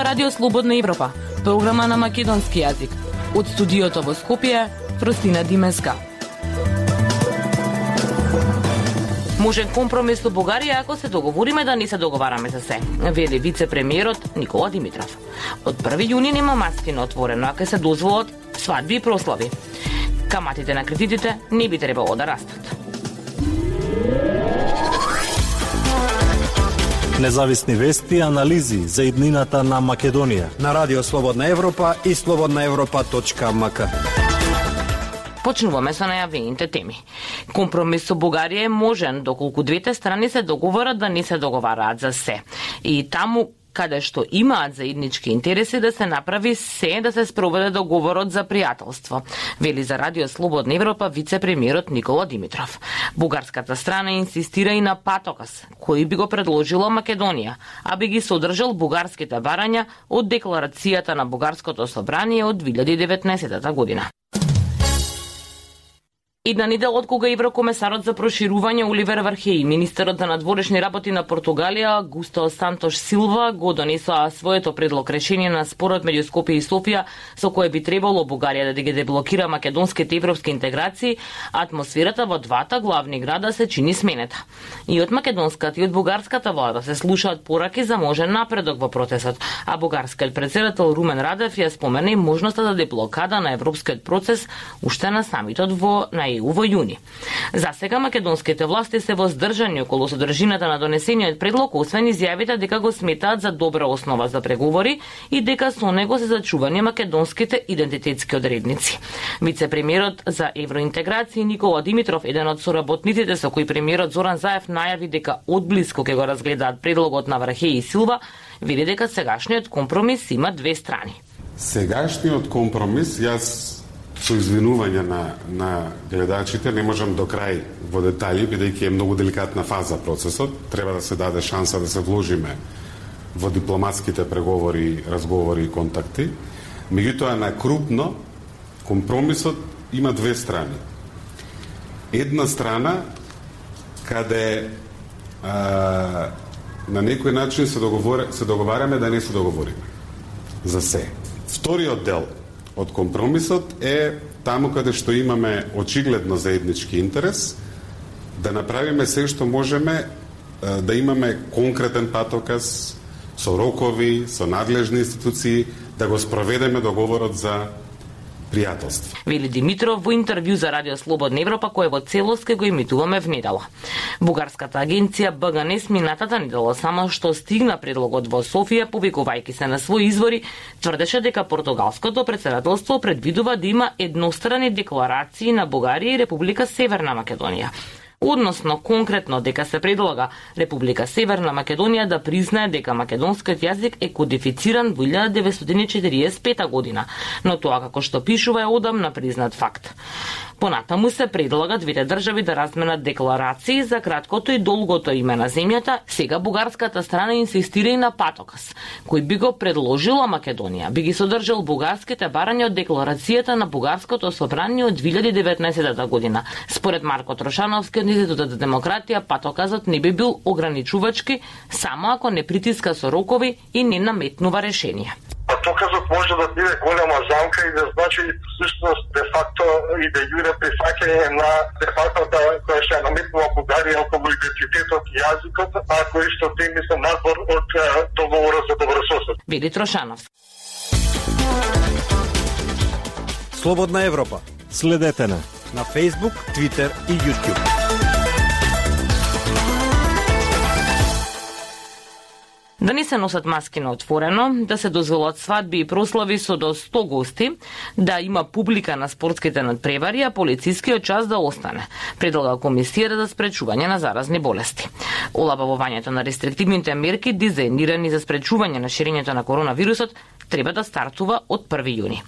Радио Слободна Европа, програма на македонски јазик. Од студиото во Скопје, Фростина Димеска. Можен компромис со Бугарија ако се договориме да не се договараме за се, вели вице-премиерот Никола Димитров. Од 1 јуни нема маски на отворено, ако се дозволат свадби и прослави. Каматите на кредитите не би требало да растат. Независни вести и анализи за иднината на Македонија на Радио Слободна Европа и slobodnaevropa.mk. Почнуваме со најавените теми. Компромис со Бугарија е можен доколку двете страни се договорат да не се договараат за се. И таму каде што имаат заеднички интереси да се направи се да се спроведе договорот за пријателство, вели за Радио Слободна Европа вице-премиерот Никола Димитров. Бугарската страна инсистира и на патоказ, кој би го предложила Македонија, а би ги содржал бугарските барања од декларацијата на Бугарското собрание од 2019 година. Една недела од кога еврокомесарот за проширување Оливер Вархеи, министерот за надворешни работи на Португалија Густо Сантош Силва го донесоа своето предлог решение на спорот меѓу Скопје и Софија со кое би требало Бугарија да ги деблокира македонските европски интеграции, атмосферата во двата главни града се чини сменета. И од македонската и од бугарската влада се слушаат пораки за можен напредок во процесот, а бугарскиот претседател Румен Радев ја спомена и можноста за деблокада на европскиот процес уште на самитот во во јуни. За сега македонските власти се воздржани околу содржината на донесениот предлог, освен изјавите дека го сметаат за добра основа за преговори и дека со него се зачувани македонските идентитетски одредници. Вице-премиерот за евроинтеграција Никола Димитров, еден од соработниците со кој премиерот Зоран Заев најави дека одблиску ќе го разгледаат предлогот на Вархеи и Силва, вели дека сегашниот компромис има две страни. Сегашниот компромис, јас со извинување на гледачите, не можам до крај во детали, бидејќи е многу деликатна фаза процесот. Треба да се даде шанса да се вложиме во дипломатските преговори, разговори и контакти. Меѓутоа, на крупно, компромисот има две страни. Една страна, каде на некој начин се договараме да не се договориме за се. Вториот дел од компромисот е таму каде што имаме очигледно заеднички интерес, да направиме се што можеме да имаме конкретен патоказ со рокови, со надлежни институции, да го спроведеме договорот за пријателство. Вели Димитров во интервју за Радио Слободна Европа, кое во целост ке го емитуваме внедела. Бугарската агенција БГНЕС минатата недела само што стигна предлогот во Софија, повикувајќи се на своји извори, тврдеше дека португалското претседателство предвидува да има еднострани декларации на Бугарија и Република Северна Македонија. Односно, конкретно, дека се предлага Република Северна Македонија да признае дека македонскиот јазик е кодифициран во 1945 година, но тоа како што пишува е одамна признат факт. Понатаму се предлага двете држави да разменат декларации за краткото и долгото име на земјата. Сега бугарската страна инсистира и на патоказ, кој би го предложила Македонија, би ги содржал бугарските барања од декларацијата на Бугарското собрание од 2019 година. Според Марко Трошановски од Институтот за демократија, патоказот не би бил ограничувачки само ако не притиска со рокови и не наметнува решение. Патоказот може да биде голема замка и да значи всушност де факто и де јуре прифаќање на де факто која што наметнува Бугарија околу идентитетот и јазикот, а кои што теми се надвор од договорот за добрососед. Вели Трошановски. Слободна Европа. Следете на Facebook, Twitter и YouTube. Да не се носат маски на отворено, да се дозволат свадби и прослави со до 100 гости, да има публика на спортските надпревари, а полицискиот час да остане, предлага Комисијата за спречување на заразни болести. Олабавувањето на рестриктивните мерки, дизајнирани за спречување на ширењето на коронавирусот, треба да стартува од 1 јуни.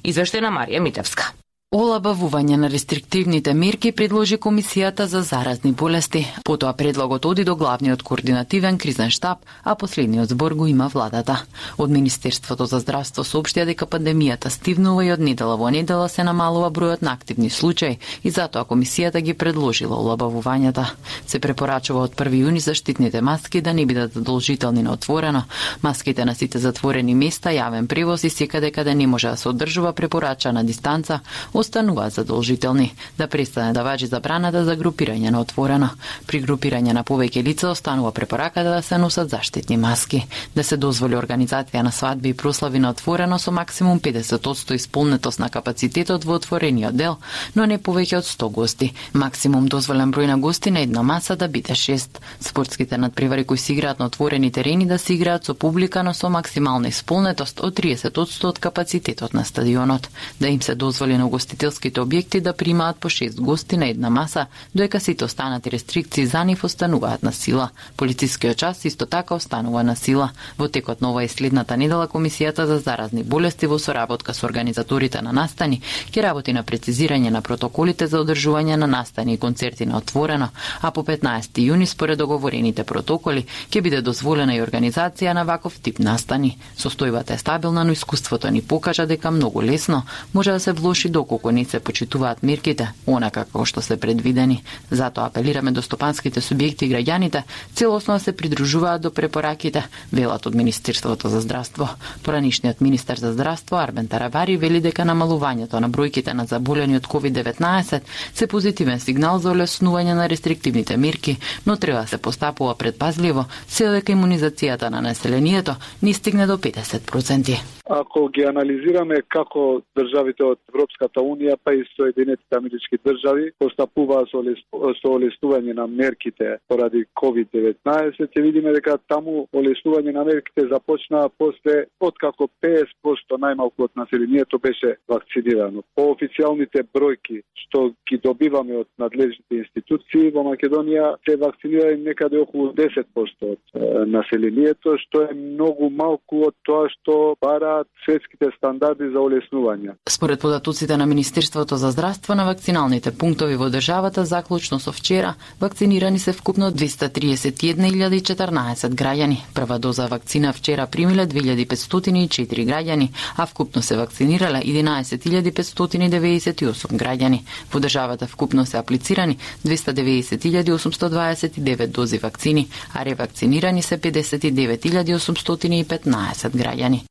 Извештај на Марија Митевска. Олабавување на рестриктивните мерки предложи Комисијата за заразни болести. Потоа предлогот оди до главниот координативен кризен штаб, а последниот збор го има владата. Од Министерството за здравство соопштија дека пандемијата стивнува и од недела во недела се намалува бројот на активни случаи и затоа Комисијата ги предложила олабавувањата. Се препорачува од 1 јуни заштитните маски да не бидат задолжителни на отворено. Маските на сите затворени места, јавен превоз и секаде каде не може да се одржува препорачана дистанца остануваат задолжителни, да престане да важи забраната за групирање на отворено. При групирање на повеќе лица останува препораката да се носат заштитни маски, да се дозволи организација на свадби и прослави на отворено со максимум 50% исполнетост на капацитетот во отворениот дел, но не повеќе од 100 гости. Максимум дозволен број на гости на една маса да биде 6. Спортските надпревари кои се играат на отворени терени да се играат со публика, но со максимална исполнетост од 30% од капацитетот на стадионот. Да им се дозволи на гостителските објекти да примаат по 6 гости на една маса, доека сите останати рестрикции за нив остануваат на сила. Полицискиот час исто така останува на сила. Во текот на ова и следната недела Комисијата за заразни болести во соработка со организаторите на настани ќе работи на прецизирање на протоколите за одржување на настани и концерти на отворено, а по 15 јуни според договорените протоколи ќе биде дозволена и организација на ваков тип настани. Состојбата е стабилна, но искуството ни покажа дека многу лесно може да се влоши доколку не се почитуваат мерките, онака како што се предвидени. Затоа апелираме до стопанските субјекти и граѓаните целосно да се придружуваат до препораките, велат од Министерството за здравство. Поранишниот министер за здравство Арбен Тарабари вели дека намалувањето на бројките на заболени од COVID-19 се позитивен сигнал за олеснување на рестриктивните мерки, но треба да се постапува предпазливо, се додека имунизацијата на населението не стигне до 50%. Ако ги анализираме како државите од Европската Унија па и Соединетите Амерички држави постапуваат со олеснување на мерките поради COVID-19, ќе видиме дека таму олеснување на мерките започнаа после откако 50% најмалку од населението беше вакцинирано. По официјалните бројки што ги добиваме од надлежните институции во Македонија се вакцинира некаде околу 10% од населението, што е многу малку од тоа што бараат светските стандарди за олеснување. Според податоците на Министерството за здравство, на вакциналните пунктови во државата заклучно со вчера вакцинирани се вкупно 231.014 граѓани. Прва доза вакцина вчера примиле 2504 граѓани, а вкупно се вакцинирале 11.598 граѓани. Во државата вкупно се аплицирани 290.829 дози вакцини, а ревакцинирани се 59.815 граѓани.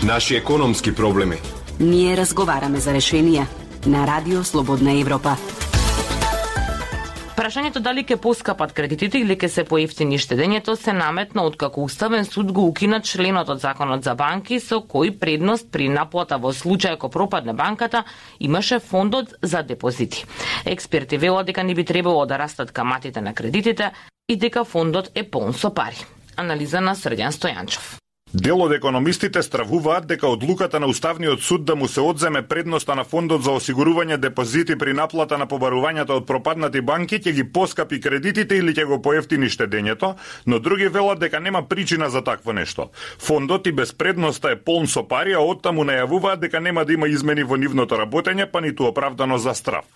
Наши економски проблеми. Ние разговараме за решенија на Радио Слободна Европа. Прашањето дали ќе поскапат кредитите или ќе се поевтини штедењето се наметна откако Уставен суд го укина членот од Законот за банки со кој предност при наплата во случај ако пропадне банката имаше фондот за депозити. Експерти велат дека не би требало да растат каматите на кредитите и дека фондот е полн со пари. Анализа на Срдјан Стојанчов. Дел од економистите стравуваат дека одлуката на Уставниот суд да му се одземе предноста на фондот за осигурување депозити при наплата на побарувањата од пропаднати банки ќе ги поскапи кредитите или ќе го поевтини штедењето, но други велат дека нема причина за такво нешто. Фондот и без предноста е полн со пари, а оттаму најавуваат дека нема да има измени во нивното работење, па ниту оправдано за штраф.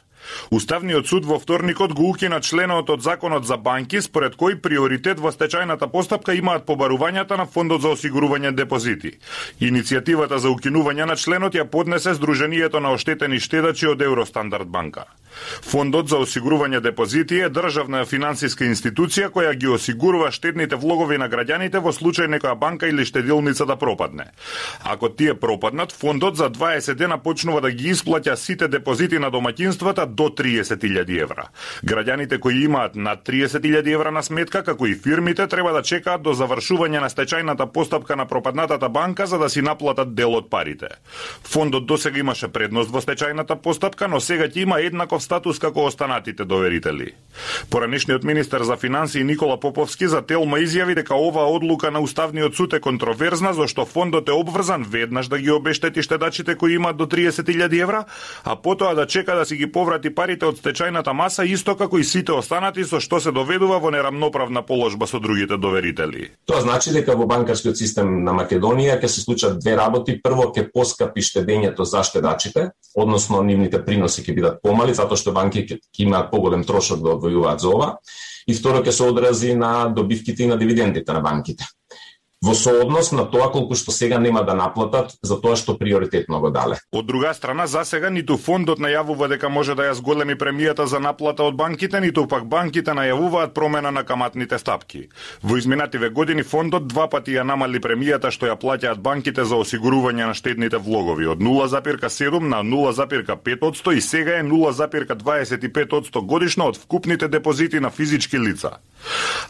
Уставниот суд во вторникот го укина членот од Законот за банки, според кој приоритет во стечајната постапка имаат побарувањата на фондот за осигурување депозити. Иницијативата за укинување на членот ја поднесе Сдруженијето на оштетени штедачи од Евростандард банка. Фондот за осигурување депозити е државна финансиска институција која ги осигурува штедните влогови на граѓаните во случај некоја банка или штедилница да пропадне. Ако тие пропаднат, фондот за 20 дена почнува да ги исплаќа сите депозити на домаќинствата до 30.000 евра. Граѓаните кои имаат над 30.000 евра на сметка, како и фирмите, треба да чекаат до завршување на стечајната постапка на пропаднатата банка за да си наплатат дел од парите. Фондот досега имаше предност во стечајната постапка, но сега ќе има еднаков еднаков статус како останатите доверители. Поранешниот министер за финансии Никола Поповски за Телма изјави дека оваа одлука на Уставниот суд е контроверзна, зашто фондот е обврзан веднаш да ги обештети штедачите кои имаат до 30.000 евра, а потоа да чека да си ги поврати парите од стечајната маса, исто како и сите останати, со што се доведува во нерамноправна положба со другите доверители. Тоа значи дека во банкарскиот систем на Македонија ќе се случат две работи. Прво, ќе поскапи штедењето за штедачите, односно нивните приноси ќе бидат помали, затоа што банки ќе имаат поголем трошок да одвојуваат за ова. И второ, ќе се одрази на добивките и на дивидендите на банките. Во сооднос на тоа колку што сега нема да наплатат за тоа што приоритетно го дале. Од друга страна, засега ниту фондот најавува дека може да ја зголеми премијата за наплата од банките, ниту пак банките најавуваат промена на каматните стапки. Во изминативе години фондот два пати ја намали премијата што ја плаќаат банките за осигурување на штедните влогови од 0,7 на 0,5% и сега е 0,25% годишно од вкупните депозити на физички лица.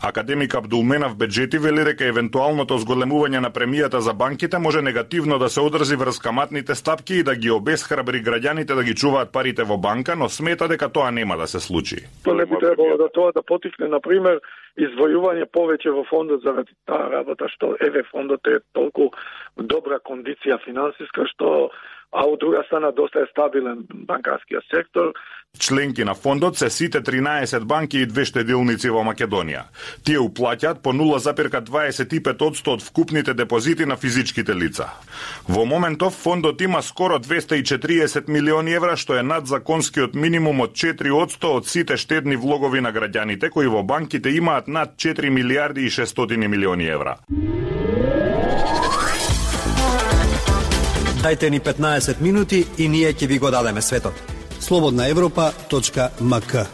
Академик Абдулменав Беджети вели дека евентуалното зголемување на премијата за банките може негативно да се одрзи врз каматните стапки и да ги обесхрабри граѓаните да ги чуваат парите во банка, но смета дека тоа нема да се случи. Тоа не би требало да тоа да потикне, например, издвојување повеќе во фондот заради таа работа што фондот е толку добра кондиција финансиска што а од друга страна доста е стабилен банкарскиот сектор. Членки на фондот се сите 13 банки и 2 штедилници во Македонија. Тие уплаќаат по 0,25% од вкупните депозити на физичките лица. Во моментов фондот има скоро 240 милиони евра, што е над законскиот минимум од 4% од сите штедни влогови на граѓаните кои во банките имаат над 4 милиарди и 600 милиони евра. Дајте ни 15 минути и ние ќе ви го дадеме светот. slobodnaevropa.mk.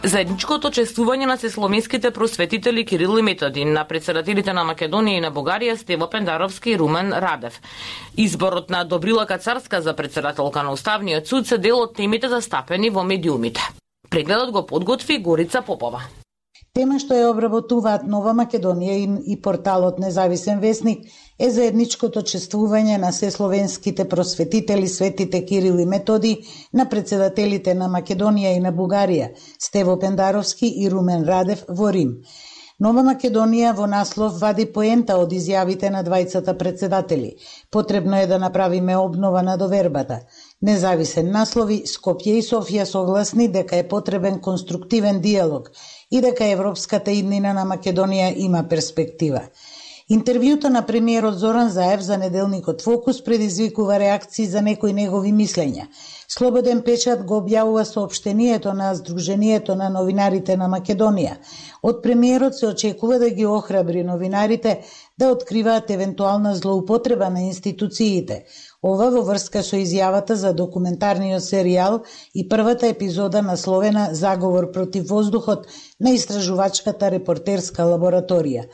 Заедничкото чествување на сесломиските просветители Кирил и Методи на председателите на Македонија и на Бугарија Стево Пендаровски и Румен Радев. Изборот на Добрила Кацарска за председателка на Уставниот суд се дел од темите застапени во медиумите. Прегледот го подготви Горица Попова. Тема што ја обработуваат Нова Македонија и порталот Независен весник е заедничкото чествување на сесловенските просветители светите Кирил и Методи на председателите на Македонија и на Бугарија Стево Пендаровски и Румен Радев во Рим. Нова Македонија во наслов вади поента од изјавите на двајцата председатели. Потребно е да направиме обнова на довербата. Независен наслови, Скопје и Софија согласни дека е потребен конструктивен диалог и дека европската иднина на Македонија има перспектива. Интервјуто на премиерот Зоран Заев за неделникот Фокус предизвикува реакции за некои негови мислења. Слободен печат го објавува соопштението на Сдруженијето на новинарите на Македонија. Од премиерот се очекува да ги охрабри новинарите да откриваат евентуална злоупотреба на институциите. Ова во врска со изјавата за документарниот серијал и првата епизода насловена Заговор против воздухот на истражувачката репортерска лабораторија.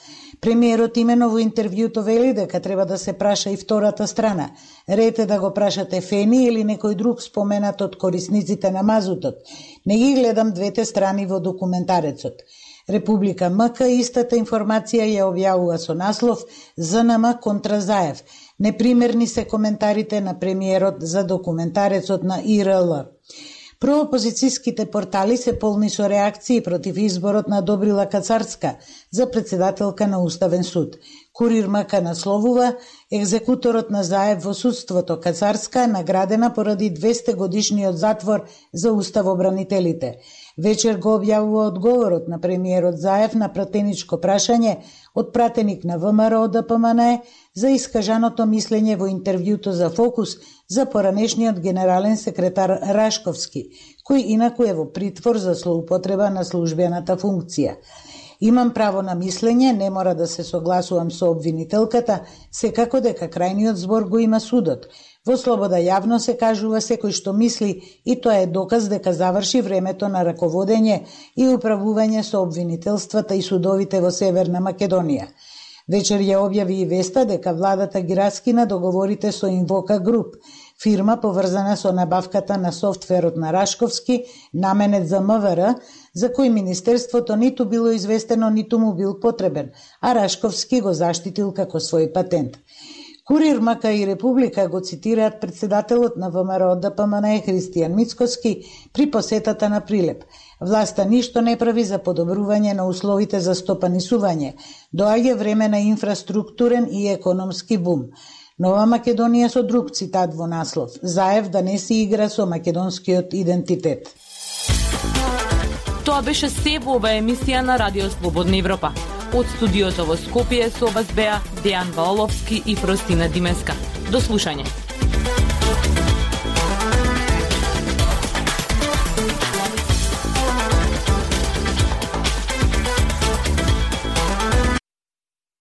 Премиерот имено во интервјуто вели дека треба да се праша и втората страна. Ред е да го прашате Фени или некој друг споменат од корисниците на мазутот. Не ги гледам двете страни во документарецот. Република МК истата информација ја објавува со наслов ЗНМ контра Заев. Непримерни се коментарите на премиерот за документарецот на ИРЛ. Проопозицијските портали се полни со реакции против изборот на Добрила Кацарска за председателка на Уставен суд. Курир МК насловува екзекуторот на Заев во судството Кацарска наградена поради 200 годишниот затвор за уставобранителите. Вечер го објавува одговорот на премиерот Заев на пратеничко прашање од пратеник на ВМРО ДПМН за искажаното мислење во интервјуто за Фокус за поранешниот генерален секретар Рашковски, кој инаку е во притвор за злоупотреба на службената функција. Имам право на мислење, не мора да се согласувам со обвинителката, секако дека крајниот збор го има судот. Во слобода јавно се кажува секој што мисли и тоа е доказ дека заврши времето на раководење и управување со обвинителствата и судовите во Северна Македонија. Вечер ја објави и веста дека владата ги раскина договорите со Инвока Груп, фирма поврзана со набавката на софтверот на Рашковски, наменет за МВР, за кој Министерството ниту било известено, ниту му бил потребен, а Рашковски го заштитил како свој патент. Курир, мака и Република го цитираат председателот на ВМРО ДПМН Христијан Мицкоски при посетата на Прилеп. Власта ништо не прави за подобрување на условите за стопанисување. Доаѓа време на инфраструктурен и економски бум. Нова Македонија со друг цитат во наслов: Заев да не си игра со македонскиот идентитет. Тоа беше се во оваа емисија на Радио Слободна Европа. Од студиото во Скопје со вас беа Дејан Ваоловски и Фростина Димеска. До слушање.